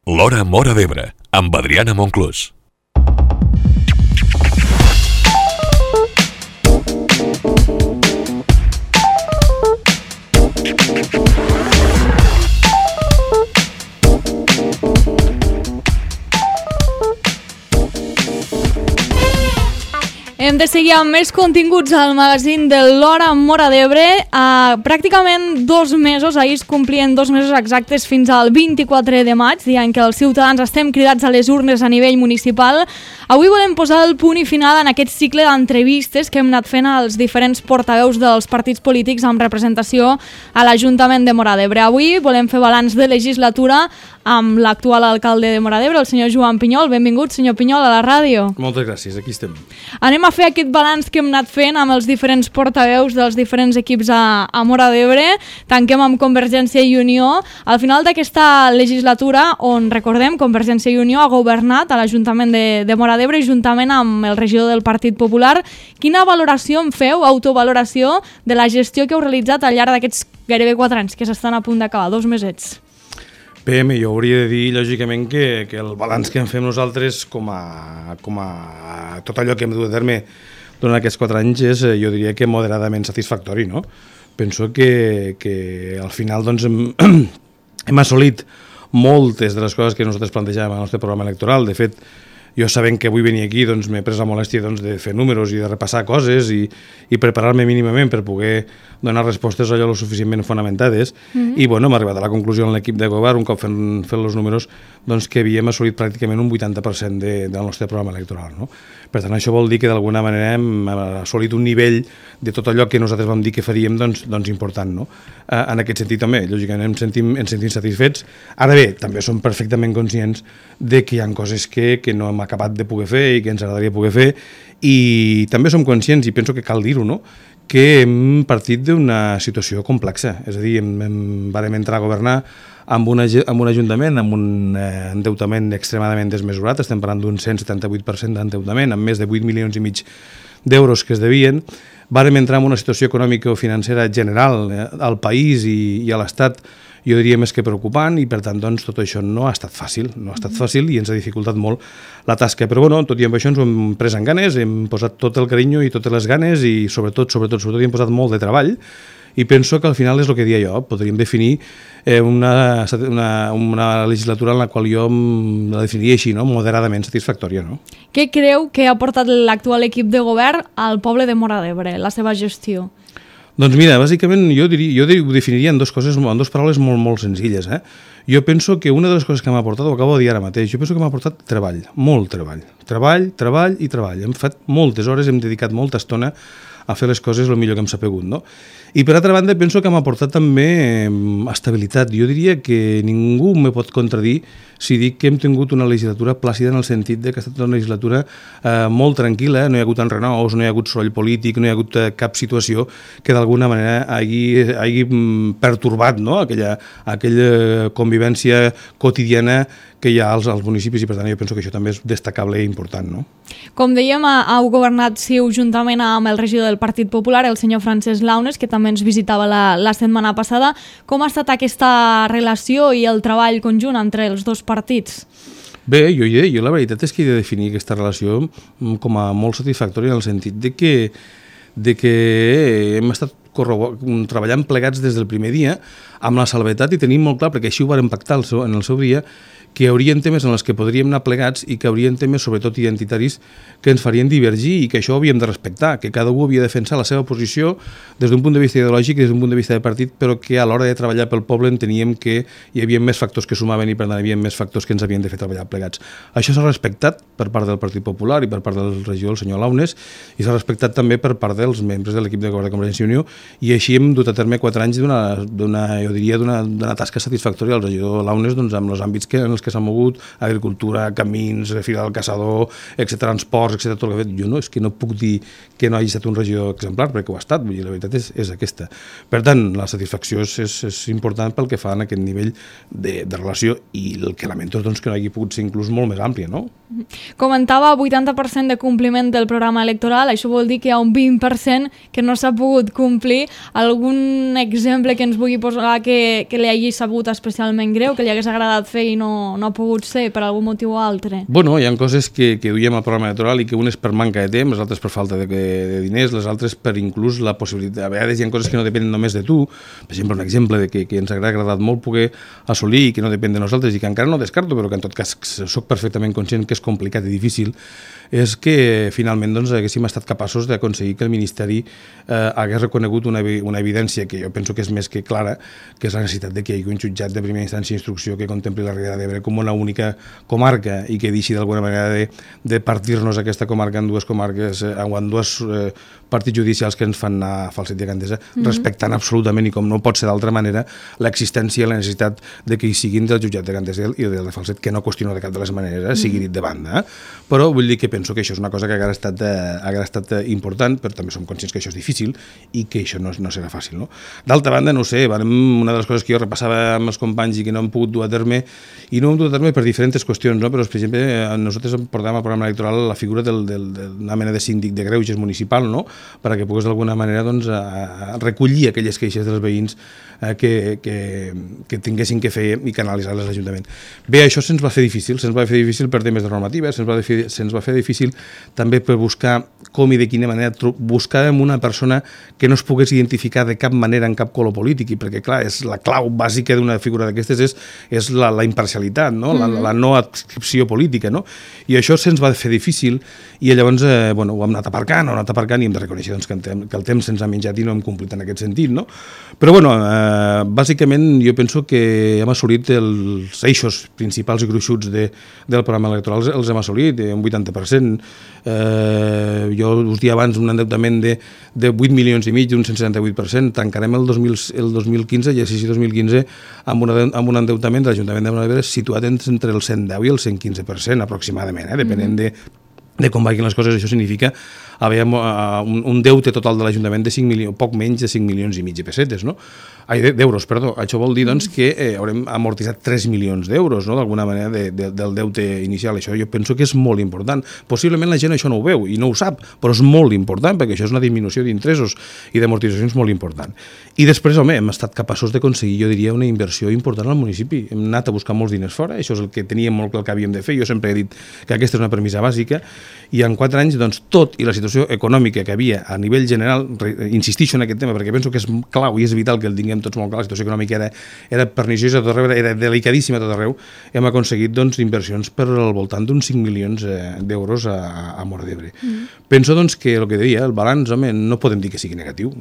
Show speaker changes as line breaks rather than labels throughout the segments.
L'Hora Móra d'Ebre, amb Adriana Monclús.
Hem de seguir amb més continguts al magazín de l'Hora Móra d'Ebre. Pràcticament 2 mesos, ahir es complien 2 mesos exactes fins al 24 de maig, dia en què els ciutadans estem cridats a les urnes a nivell municipal. Avui volem posar el punt i final en aquest cicle d'entrevistes que hem anat fent als diferents portaveus dels partits polítics amb representació a l'Ajuntament de Móra d'Ebre. Avui volem fer balanç de legislatura amb l'actual alcalde de Móra d'Ebre, el senyor Joan Pinyol. Benvingut, senyor Pinyol, a la ràdio.
Moltes gràcies, aquí estem.
Anem a fer aquest balanç que hem anat fent amb els diferents portaveus dels diferents equips a Móra d'Ebre. Tanquem amb Convergència i Unió. Al final d'aquesta legislatura, on recordem, Convergència i Unió ha governat a l'Ajuntament de Móra d'Ebre juntament amb el regidor del Partit Popular. Quina valoració en feu, autovaloració, de la gestió que heu realitzat al llarg d'aquests gairebé 4 anys que s'estan a punt d'acabar, 2 mesets?
Bé, jo hauria de dir, lògicament, que el balanç que en fem nosaltres com a tot allò que hem dut a terme durant aquests 4 anys és, jo diria que moderadament satisfactori, no? Penso que al final doncs, hem assolit moltes de les coses que nosaltres plantejàvem al nostre programa electoral. De fet, jo sabent que vull venir aquí, doncs, m'he pres la molèstia de fer números i de repassar coses i preparar-me mínimament per poder donar respostes allò lo suficientment fonamentades. I bueno, hem arribat a la conclusió en l'equip de govern, un cop fent els números, doncs, que havíem assolit pràcticament un 80% del nostre programa electoral, no? Per tant, això vol dir que d'alguna manera hem assolit un nivell de tot allò que nosaltres vam dir que faríem doncs important, no? En aquest sentit també, lògicament ens sentim satisfets. Ara bé, també som perfectament conscients de que hi ha coses que no hem acabat de poder fer i que ens agradaria poder fer, i també som conscients, i penso que cal dir-ho, no?, que hem partit d'una situació complexa. És a dir, vam entrar a governar amb un ajuntament amb un endeutament extremadament desmesurat. Estem parlant d'un 178% d'endeutament, amb més de 8 milions i mig d'euros que es devien. Vam entrar en una situació econòmica o financera general al país i a l'Estat, jo diria més que preocupant, i per tant doncs, tot això no ha estat fàcil, i ens ha dificultat molt la tasca. Però bueno, tot i amb això ens ho hem pres en ganes, hem posat tot el carinyo i totes les ganes i sobretot hi hem posat molt de treball, i penso que al final és el que dia jo, podríem definir una legislatura en la qual jo la definiria així, no?, moderadament satisfactòria, no?
Què creu que ha portat l'actual equip de govern al poble de Móra d'Ebre, la seva gestió?
Doncs mira, bàsicament jo ho definiria en 2 paraules molt senzilles. Jo penso que una de les coses que m'ha aportat, ho acabo de dir ara mateix, jo penso que m'ha aportat treball, molt treball. Treball i treball. Hem fet moltes hores, hem dedicat molta estona a fer les coses el millor que hem sapegut, no? I per altra banda penso que m'ha aportat també estabilitat. Jo diria que ningú me pot contradir si dic que hem tingut una legislatura plàcida en el sentit que ha estat una legislatura molt tranquil·la, no hi ha hagut enrenou, no hi ha hagut soroll polític, no hi ha hagut cap situació que d'alguna manera hagi pertorbat, no?, aquella convivència quotidiana que hi ha als municipis, i per tant jo penso que això també és destacable i important, no?
Com dèiem, heu governat juntament amb el regidor del Partit Popular, el senyor Francesc Launes, que també ens visitava la setmana passada. Com ha estat aquesta relació i el treball conjunt entre els 2 partits?
Bé, jo la veritat és que he de definir aquesta relació com a molt satisfactòria, en el sentit de que hem estat treballant plegats des del primer dia amb la salvetat, i tenim molt clar, perquè així ho vàrem pactar en el seu dia, que hi haurien temes en els que podríem anar plegats i que hi haurien temes, sobretot identitaris, que ens farien divergir i que això ho havíem de respectar, que cada un havia de defensar la seva posició des d'un punt de vista ideològic i des d'un punt de vista de partit, però que a l'hora de treballar pel poble enteníem que hi havia més factors que sumaven i per tant hi havia més factors que ens havien de fer treballar plegats. Això s'ha respectat per part del Partit Popular i per part del regidor, el senyor Launes, i s'ha respectat també per part dels membres de l'equip de govern de Convergència i Unió, i així hem dut a terme 4 anys d'una tasca satisfactòria. El regidor Launes, doncs, amb els àmbits en els que s'ha mogut, agricultura, camins, Fira del Caçador, transports, tot el que ha fet. Jo no puc dir que no hagi estat un regidor exemplar, perquè ho ha estat, vull dir, la veritat és aquesta. Per tant, la satisfacció és important pel que fa en aquest nivell de relació, i el que lamento és que no hagi pogut ser inclús molt més àmplia, no?
Comentava 80% de compliment del programa electoral, això vol dir que hi ha un 20% que no s'ha pogut complir. Algun exemple que ens vulgui posar que li hagi sabut especialment greu, que li hagués agradat fer i no no ha pogut ser per algun motiu o altre?
Bueno, hi ha coses que duiem al programa electoral i que unes per manca de temps, les altres per falta de diners, les altres per inclús la possibilitat. A vegades hi ha coses que no depenen només de tu. Per exemple, un exemple de que ens ha agradat molt poder assolir i que no depèn de nosaltres i que encara no descarto, però que en tot cas soc perfectament conscient que és complicat i difícil, és que finalment doncs, haguéssim estat capaços d'aconseguir que el Ministeri hagués reconegut una evidència que jo penso que és més que clara, que és la necessitat de que hi hagi un jutjat de primera instància d'instrucció que contempli la Ribera d'Ebre com una única comarca i que deixi d'alguna manera de partir-nos aquesta comarca en dues comarques o en dos partits judicials que ens fan anar a Falset i a Gandesa, respectant absolutament, i com no pot ser d'altra manera, l'existència i la necessitat de que hi siguin del jutjat de Gandesa i del de Falset, que no qüestiono de cap de les maneres, sigui dit de banda. Però vull dir que penso que això és una cosa que haguera estat important, però també som conscients que això és difícil i que això no serà fàcil. No? D'altra banda, no ho sé, una de les coses que jo repassava amb els companys i que no hem pogut dur a terme, i no hem dut a terme per diferents qüestions, no? Però, per exemple, nosaltres portàvem al programa electoral la figura d'una mena de síndic de greuges municipal, no? Perquè pogués d'alguna manera doncs, recollir aquelles queixes dels veïns que tinguessin que fer i canalitzar-les a l'Ajuntament. Bé, això se'ns va fer difícil per temes de normativa, se'ns va fer difícil també per buscar com i de quina manera buscàvem una persona que no es pogués identificar de cap manera en cap color polític, perquè clar, és la clau bàsica d'una figura d'aquestes és la imparcialitat, no? La no adscripció política, no? I això se'ns va fer difícil i llavors ho hem anat aparcant i hem de reconèixer doncs, que el temps se'ns ha menjat i no hem complit en aquest sentit, no? Però bàsicament jo penso que hem assolit els eixos principals i gruixuts del programa electoral, els hem assolit, un 80%. Jo us dia abans un endeutament de 8 milions i mig, d'un 178%, tancarem el 2015, l'exercici 2015, amb un endeutament de l'Ajuntament de Móra d'Ebre situat entre el 110 i el 115% aproximadament, depenent de com vagin les coses. Això significa haver un deute total de l'Ajuntament de 5 milions, poc menys de 5 milions i mig de pessetes, no? D'euros, perdó. Això vol dir doncs, que haurem amortitzat 3 milions d'euros, no? D'alguna manera del deute inicial. Això jo penso que és molt important. Possiblement la gent això no ho veu i no ho sap, però és molt important perquè això és una disminució d'interessos i d'amortitzacions molt important. I després, home, hem estat capaços d'aconseguir, jo diria, una inversió important al municipi. Hem anat a buscar molts diners fora, això és el que teníem molt clar que havíem de fer. Jo sempre he dit que aquesta és una premissa bàsica i en 4 anys, doncs, tot i la situació econòmica que havia a nivell general, insistixo en aquest tema perquè penso que és clau i és vital que el tinguem tots molt clar, la situació econòmica era perniciosa a tot arreu, era delicadíssima a tot arreu, hem aconseguit doncs, inversions per al voltant d'uns 5 milions d'euros a Móra d'Ebre. Penso doncs, que el que deia, el balanç, home, no podem dir que sigui negatiu.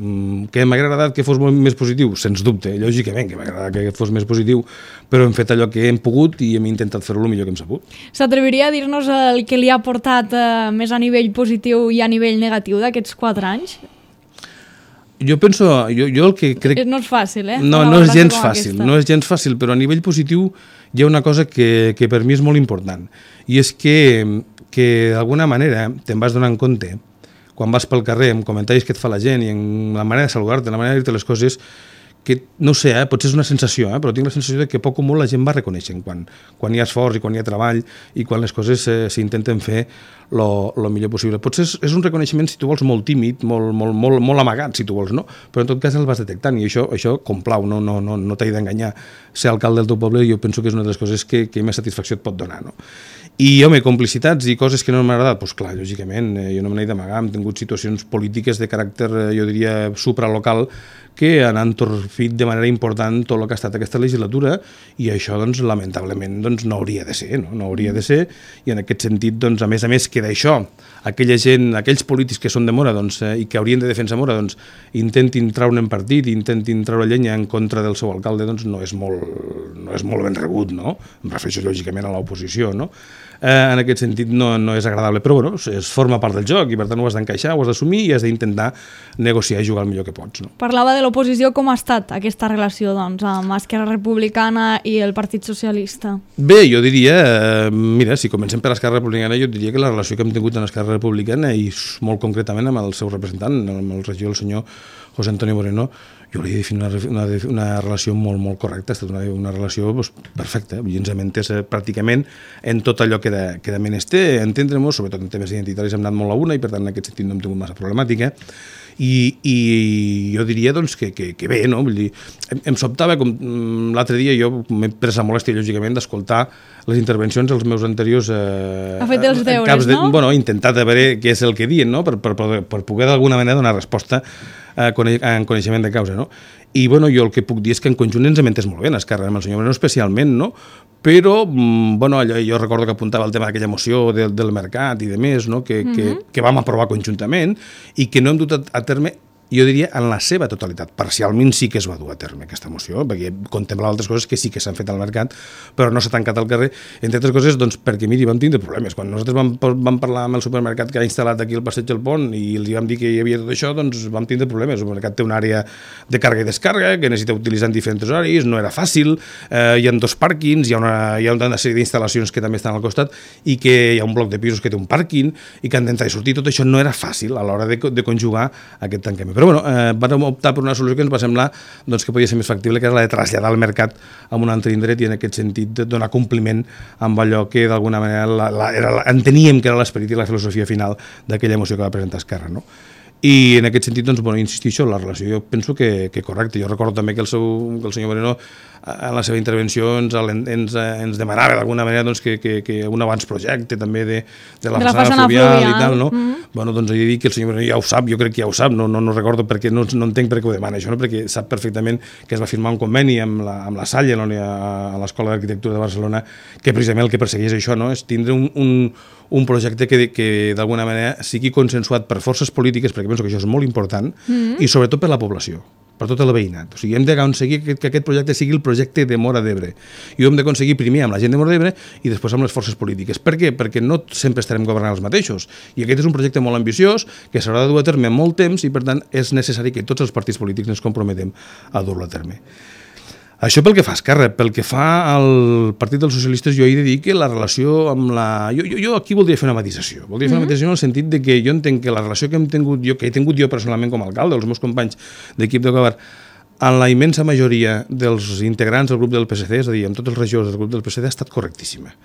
Que m'ha agradat que fos molt més positiu? Sens dubte, lògicament que m'ha agradat que fos més positiu, però hem fet allò que hem pogut i hem intentat fer-ho el millor que hem sabut.
S'atreviria a dir-nos el que li ha portat més a nivell positiu i a nivell negatiu d'aquests 4 anys?
Jo penso, jo el que crec...
No és fàcil,
No és gens fàcil, però a nivell positiu hi ha una cosa que per mi és molt important, i és que d'alguna manera te'n vas donant compte, quan vas pel carrer, amb comentaris que et fa la gent i en la manera de saludar-te, la manera de dir-te les coses, que no sé, potser és una sensació, però tinc la sensació de que poc o molt la gent va reconeixent quan hi ha esforç i quan hi ha treball i quan les coses s'intenten fer el millor possible. Potser és un reconeixement, si tu vols, molt tímid, molt amagat, si tu vols, no? Però en tot cas el vas detectant i això complau, no t'he d'enganyar. Ser alcalde del teu poble jo penso que és una de les coses que més satisfacció et pot donar, no? I, home, complicitats i coses que no m'han agradat, doncs clar, lògicament, jo no me n'he d'amagar, hem tingut situacions polítiques de caràcter, jo diria, supralocal, que han entorpit de manera important tot el que ha estat aquesta legislatura i això, doncs, lamentablement, doncs, no hauria de ser, no hauria de ser, i en aquest sentit, doncs, a més que d'això, aquella gent, aquells polítics que són de Móra, doncs, i que haurien de defensar Móra, doncs, intentin traure'n partit, intentin treure llenya en contra del seu alcalde, doncs, no és molt ben rebut, no? Em refereixo, lògicament, a l'oposició, no? En aquest sentit no és agradable, però bueno, forma part del joc i per tant ho has d'encaixar, ho has d'assumir i has d'intentar negociar i jugar el millor que pots. No?
Parlava de l'oposició, com ha estat aquesta relació doncs, amb Esquerra Republicana i el Partit Socialista?
Bé, jo diria, mira, si comencem per Esquerra Republicana, jo diria que la relació que hem tingut amb Esquerra Republicana i molt concretament amb el seu representant, amb el regidor, el senyor José Antonio Moreno, jo hauria de definir una relació molt, molt correcta, ha estat una relació perfecta, i ens hem entès pràcticament en tot allò que de menester, entendre-nos, sobretot en temes identitaris hem anat molt a una, i per tant en aquest sentit no hem tingut massa problemàtica, i jo diria doncs, que bé, no? Vull dir, em sobtava, com l'altre dia jo m'he pres la molèstia, lògicament, d'escoltar les intervencions dels meus anteriors...
Ha fet els deures, no?
Bueno, he intentat a veure què és el que diuen, no? Per poder d'alguna manera donar resposta en coneixement de causa, no? I bueno, jo el que puc dir és que en conjunt ens hem entès molt bé en Esquerra, amb el senyor Moreno especialment, no? Però bueno, jo recordo que apuntava el tema d'aquella moció del mercat i de més, no? que vam aprovar conjuntament i que no hem dut a terme, jo diria, en la seva totalitat. Parcialment sí que es va dur a terme aquesta moció, perquè contemplava altres coses que sí que s'han fet al mercat, però no s'ha tancat al carrer, entre altres coses, doncs, perquè, miri, vam tindre problemes. Quan nosaltres vam parlar amb el supermercat que ha instal·lat aquí al Passeig del Pont i els vam dir que hi havia tot això, doncs vam tindre problemes. El supermercat té una àrea de càrrega i descàrrega que necessita utilitzar en diferents horaris, no era fàcil, hi ha 2 pàrquings, hi ha una sèrie d'instal·lacions que també estan al costat i que hi ha un bloc de pisos que té un pàrquing i que han d'entrar i sortir. Tot això no era fàcil a l'hora de conjugar aquest tancament. Però bueno, vam optar per una solució que ens va semblar doncs, que podia ser més factible, que era la de traslladar el mercat a un altre indret i en aquest sentit de donar compliment amb allò que d'alguna manera enteníem que era l'esperit i la filosofia final d'aquella moció que va presentar Esquerra, no? I en aquest sentit, doncs, bueno, insistixo, la relació jo penso que correcte. Jo recordo també que el senyor Moreno en la seva intervenció ens demanava d'alguna manera doncs, que un abans projecte també de la façana fluvial i tal, no? Bueno, doncs he de dir que el senyor Moreno ja ho sap, jo crec que ja ho sap, no recordo perquè no entenc per què ho demana això, no? Perquè sap perfectament que es va firmar un conveni amb la Salle a l'Escola d'Arquitectura de Barcelona, que precisament el que persegueix això, no? És tindre un projecte que d'alguna manera sigui consensuat per forces polítiques, perquè penso que això és molt important, i sobretot per la població, per tot el veïnat. O sigui, hem d'aconseguir que aquest projecte sigui el projecte de Móra d'Ebre. I ho hem d'aconseguir primer amb la gent de Móra d'Ebre i després amb les forces polítiques. Per què? Perquè no sempre estarem governant els mateixos. I aquest és un projecte molt ambiciós, que s'haurà de dur a terme en molt temps i, per tant, és necessari que tots els partits polítics ens comprometem a dur-lo a terme. Això pel que fa a Esquerra. Pel que fa al Partit dels Socialistes, jo he de dir que la relació amb la... Jo aquí voldria fer una matisació. Voldria fer una matisació en el sentit de que jo entenc que la relació que he tingut jo personalment com a alcalde, els meus companys d'equip de govern, en la immensa majoria dels integrants del grup del PSC, és a dir, amb tots els regidors del grup del PSC, ha estat correctíssima.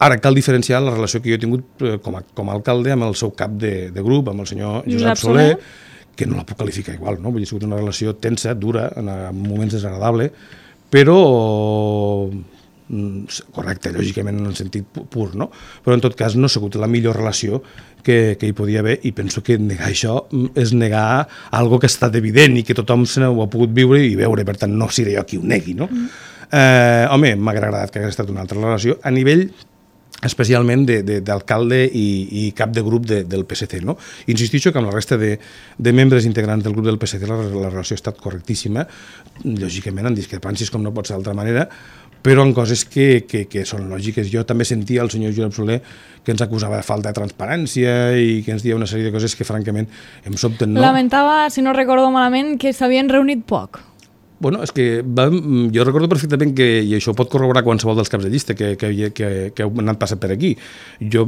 Ara cal diferenciar la relació que jo he tingut com a alcalde amb el seu cap de grup, amb el senyor Josep Soler, que no la puc qualificar igual, no? Vull dir, ha sigut una relació tensa, dura, en moments desagradable, però correcte, lògicament en el sentit pur, no? Però en tot cas no ha sigut la millor relació que hi podia haver, i penso que negar això és negar algo que ha estat evident i que tothom se ho ha pogut viure i veure, per tant no seré jo qui ho negui, no? Home, m'hauria agradat que hagués estat una altra relació a nivell especialment d'alcalde i cap de grup del PSC, no? Insistixo que amb la resta de membres integrants del grup del PSC la relació ha estat correctíssima, lògicament en discrepàncies com no pot ser d'altra manera, però en coses que són lògiques. Jo també sentia el senyor Josep Soler que ens acusava de falta de transparència i que ens deia una sèrie de coses que francament em sobten, no?
Lamentava, si no recordo malament, que s'havien reunit poc.
Bueno, és que jo recordo perfectament que, i això pot corroborar qualsevol dels caps de llista que heu anat passant per aquí, jo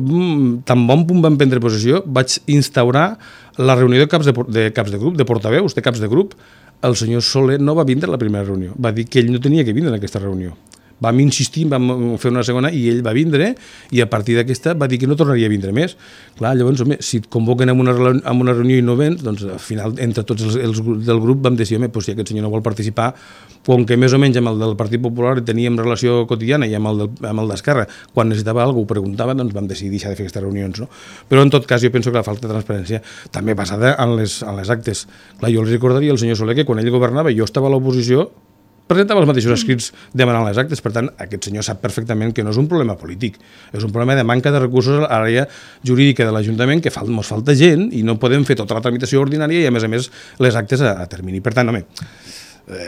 tan bon punt vam prendre possessió vaig instaurar la reunió de caps de grup, de portaveus de caps de grup. El senyor Soler no va vindre a la primera reunió, va dir que ell no tenia que vindre en aquesta reunió. Vam insistir, vam fer una segona i ell va vindre i a partir d'aquesta va dir que no tornaria a vindre més. Clar, llavors, home, si et convoquen en una reunió i no vens, doncs al final entre tots els del grup vam decidir, home, si aquest senyor no vol participar, com que més o menys amb el del Partit Popular teníem relació quotidiana i amb el d'Esquerra, quan necessitava alguna cosa ho preguntava, doncs vam decidir deixar de fer aquestes reunions, no? Però en tot cas jo penso que la falta de transparència també basada en les actes. Clar, jo els recordaria al senyor Soler que quan ell governava i jo estava a l'oposició presentava els mateixos escrits demanant les actes. Per tant, aquest senyor sap perfectament que no és un problema polític, és un problema de manca de recursos a l'àrea jurídica de l'Ajuntament, que ens falta gent i no podem fer tota la tramitació ordinària i a més les actes a termini. Per tant, home,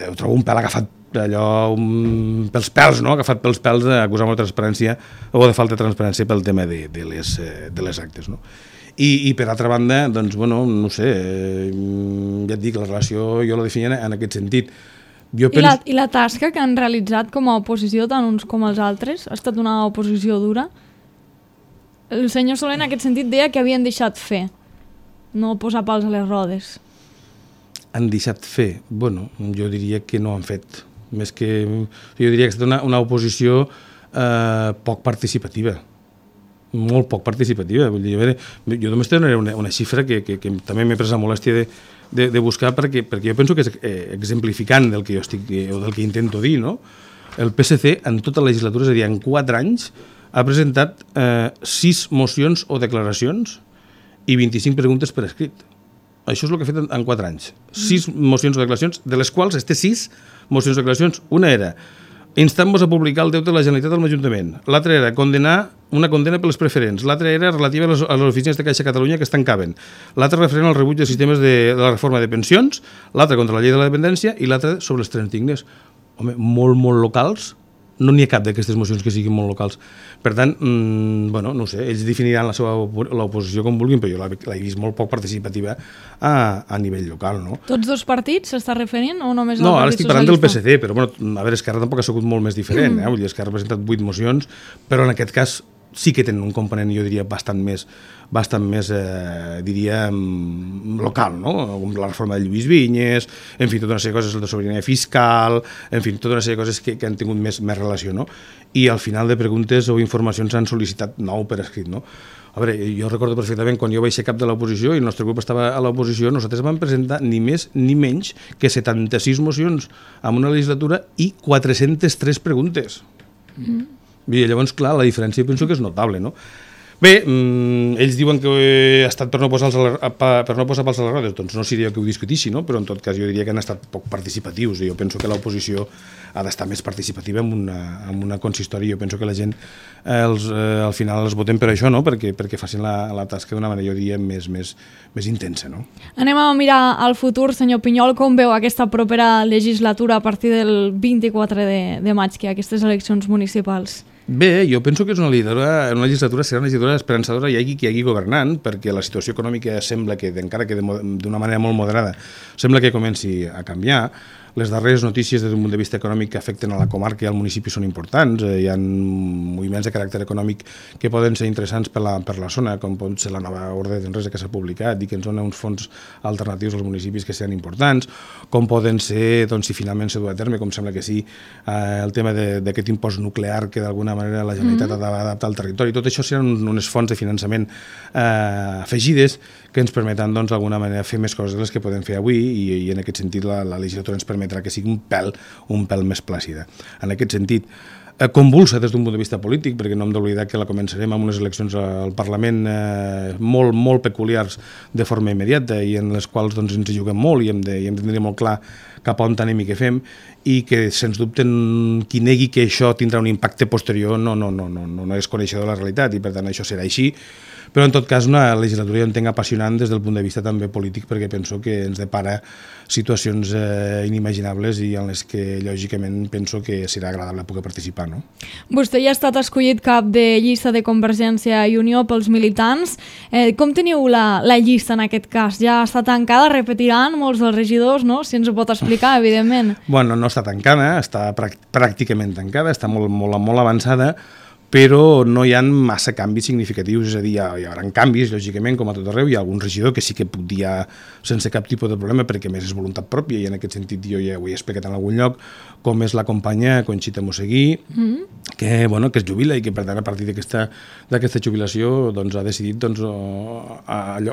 ho trobo un pèl agafat pels pèls, no? Agafat pels pèls d'acusar-me de transparència o de falta de transparència pel tema de les actes, no? I per altra banda, doncs, bueno, no sé, ja et dic, la relació jo la definia en aquest sentit.
I la tasca que han realitzat com a oposició, tant uns com els altres, ha estat una oposició dura? El senyor Soler en aquest sentit deia que havien deixat fer, no posar pals a les rodes.
han deixat fer? Bueno, jo diria que no han fet. Més que... Jo diria que ha estat una oposició poc participativa. Molt poc participativa. Vull dir, a veure, jo només donaré una xifra que també m'he pres la molèstia de buscar perquè jo penso que és exemplificant del que jo estic o del que intento dir, no? El PSC en tota la legislatura, és a dir, en 4 anys, ha presentat 6 mocions o declaracions i 25 preguntes per escrit. Això és el que ha fet en 4 anys. 6 mocions o declaracions, de les quals 6 mocions o declaracions, una era instant-vos a publicar el deute de la Generalitat amb l'Ajuntament. L'altra era una condena per les preferents. L'altra era relativa a les oficines de Caixa Catalunya que es tancaven. L'altra referent al rebuig dels sistemes de la reforma de pensions. L'altra contra la llei de la dependència i l'altra sobre els trens dignes. Home, molt locals. No n'hi ha cap d'aquestes mocions que siguin molt locals. Per tant, bueno, no sé, ells definiran l'oposició com vulguin, però jo l'he vist molt poc participativa a nivell local, no?
Tots dos partits s'està referint o només el
No,
Partit Socialista?
ara estic parlant del PSC, però bueno, a veure, Esquerra tampoc ha sigut molt més diferent, Vull dir, Esquerra ha presentat 8 mocions, però en aquest cas sí que tenen un component, jo diria, bastant més diria, local, no? La reforma de Lluís Vinyes, en fi, tota una sèrie de coses de sobirania fiscal, en fi, tota una sèrie de coses que han tingut més relació, no? I al final de preguntes o informacions s'han sol·licitat 9 per escrit, no? A veure, jo recordo perfectament quan jo vaig ser cap de l'oposició i el nostre grup estava a l'oposició, nosaltres vam presentar ni més ni menys que 76 mocions en una legislatura i 403 preguntes. I llavors, clar, la diferència penso que és notable, no? Bé, ells diuen que ha estat per no posar pals a les rodes, doncs no seria que ho discutissi, no? Però en tot cas jo diria que han estat poc participatius i jo penso que l'oposició ha d'estar més participativa en una consistori. Jo penso que la gent al final els voten per això, no? Perquè facin la tasca d'una manera, jo diria, més intensa, no?
Anem a mirar al futur, senyor Pinyol, com veu aquesta propera legislatura a partir del 24 de maig, que hi ha aquestes eleccions municipals?
Bé, jo penso que és una legislatura serà una legislatura esperançadora hi hagi governant, perquè la situació econòmica sembla que, encara que d'una manera molt moderada, sembla que comenci a canviar. Les darreres notícies des d'un punt de vista econòmic que afecten a la comarca i al municipi són importants. Hi ha moviments de caràcter econòmic que poden ser interessants per la zona, com pot ser la nova ordre d'enresa que s'ha publicat i que ens dona uns fons alternatius als municipis que seran importants, com poden ser, doncs, si finalment s'ha dut a terme, com sembla que sí, el tema d'aquest impost nuclear que d'alguna manera la Generalitat ha d'adaptar al territori. Tot això seran unes fonts de finançament afegides que ens permeten, doncs, d'alguna manera fer més coses de les que podem fer avui i en aquest sentit la legislatura ens permetrà que sigui un pèl més plàcida. En aquest sentit, convulsa des d'un punt de vista polític, perquè no hem d'oblidar que la començarem amb unes eleccions al Parlament molt peculiars de forma immediata i en les quals doncs, ens hi juguem molt i hem de tenir molt clar cap a on anem i què fem, i que, sens dubte, qui negui que això tindrà un impacte posterior no és coneixedor de la realitat i, per tant, això serà així. Però, en tot cas, una legislatura jo entenc apassionant des del punt de vista també polític, perquè penso que ens depara situacions inimaginables i en les que, lògicament, penso que serà agradable poder participar, no?
Vostè ja ha estat escollit cap de llista de Convergència i Unió pels militants. Com teniu la llista en aquest cas? Ja està tancada? Repetiran molts dels regidors, no? Si ens ho pot explicar, evidentment.
Bueno, no està tancada, està pràcticament tancada, està molt avançada, però no hi ha massa canvis significatius, és a dir, hi haurà canvis, lògicament, com a tot arreu. Hi ha algun regidor que sí que puc dir sense cap tipus de problema, perquè més és voluntat pròpia, i en aquest sentit jo ja ho he explicat en algun lloc, com és la companya Conxita Moseguí, que es jubila i que, per tant, a partir d'aquesta jubilació doncs, ha decidit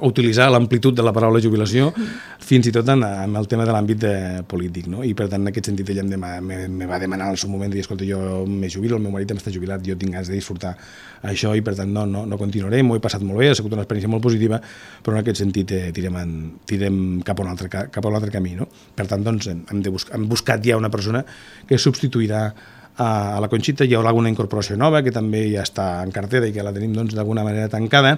utilitzar l'amplitud de la paraula jubilació fins i tot en el tema de l'àmbit polític, no? I, per tant, en aquest sentit, ella me va demanar en el seu moment de dir, escolta, jo me jubilo, el meu marit està jubilat, jo tinc ganes de disfrutar això i, per tant, no continuaré, m'ho he passat molt bé, ha sigut una experiència molt positiva, però en aquest sentit tirem cap a un altre camí, no? Per tant, doncs, hem buscat ja una persona que substituirà a la Conxita. Hi haurà alguna incorporació nova que també ja està en cartera i que la tenim doncs, d'alguna manera tancada,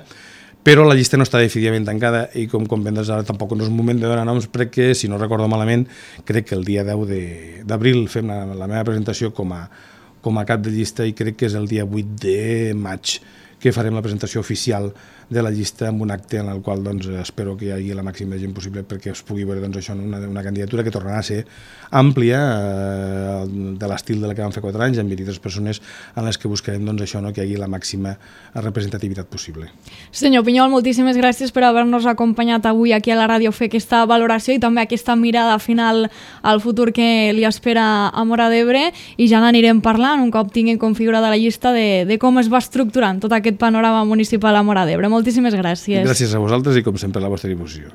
però la llista no està definitivament tancada i com comprendràs ara tampoc no és un moment de donar noms perquè, si no recordo malament, crec que el dia 10 d'abril fem la meva presentació com a cap de llista i crec que és el dia 8 de maig que farem la presentació oficial de la llista amb un acte en el qual doncs, espero que hi hagi la màxima de gent possible perquè es pugui veure doncs, això, una candidatura que tornarà a ser àmplia, de l'estil de la que vam fer 4 anys, amb 23 persones en les que buscarem doncs, això, no? Que hi hagi la màxima representativitat possible.
Senyor Pinyol, moltíssimes gràcies per haver-nos acompanyat avui aquí a la ràdio a fer aquesta valoració i també aquesta mirada final al futur que li espera a Móra d'Ebre, i ja n'anirem parlant un cop tinguin configurada la llista de com es va estructurant tot aquest panorama municipal a Móra d'Ebre. Moltíssimes gràcies.
Gràcies a vosaltres i com sempre a la vostra difusió.